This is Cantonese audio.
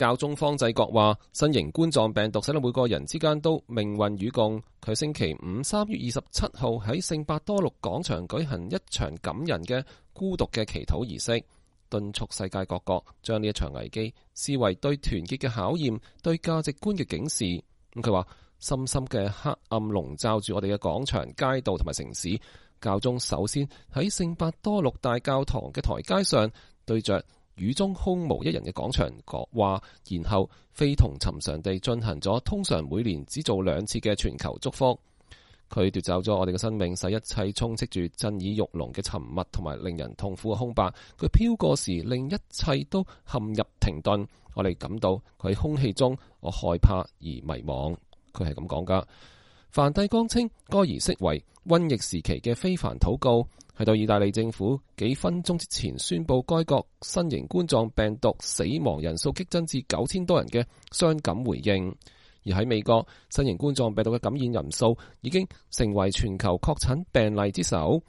教宗方濟各話，新型冠狀病毒使到每個人之間都命運與共。佢星期五3月27號喺聖伯多祿廣場舉行一場感人嘅孤獨嘅祈禱儀式，敦促世界各國將呢一場危機視為對團結嘅考驗，對價值觀嘅警示。佢話，深深嘅黑暗籠罩住我哋嘅廣場、街道同埋城市。教宗首先喺聖伯多祿大教堂嘅台階上對着雨中空無一人嘅廣場講話，然後非同尋常地進行咗通常每年只做2次嘅全球祝福。佢奪走咗我哋嘅生命，使一切充斥住震耳欲聾嘅沉默同埋令人痛苦嘅空白。佢飄過時，令一切都陷入停頓。我哋感到佢喺空氣中，我害怕而迷惘。佢係咁講噶。梵蒂岡稱該儀式為瘟疫時期嘅非凡禱告，係對意大利政府幾分鐘之前宣布該國新型冠狀病毒死亡人數激增至9000多人嘅傷感回應。而喺美國，新型冠狀病毒嘅感染人數已經成為全球確診病例之首。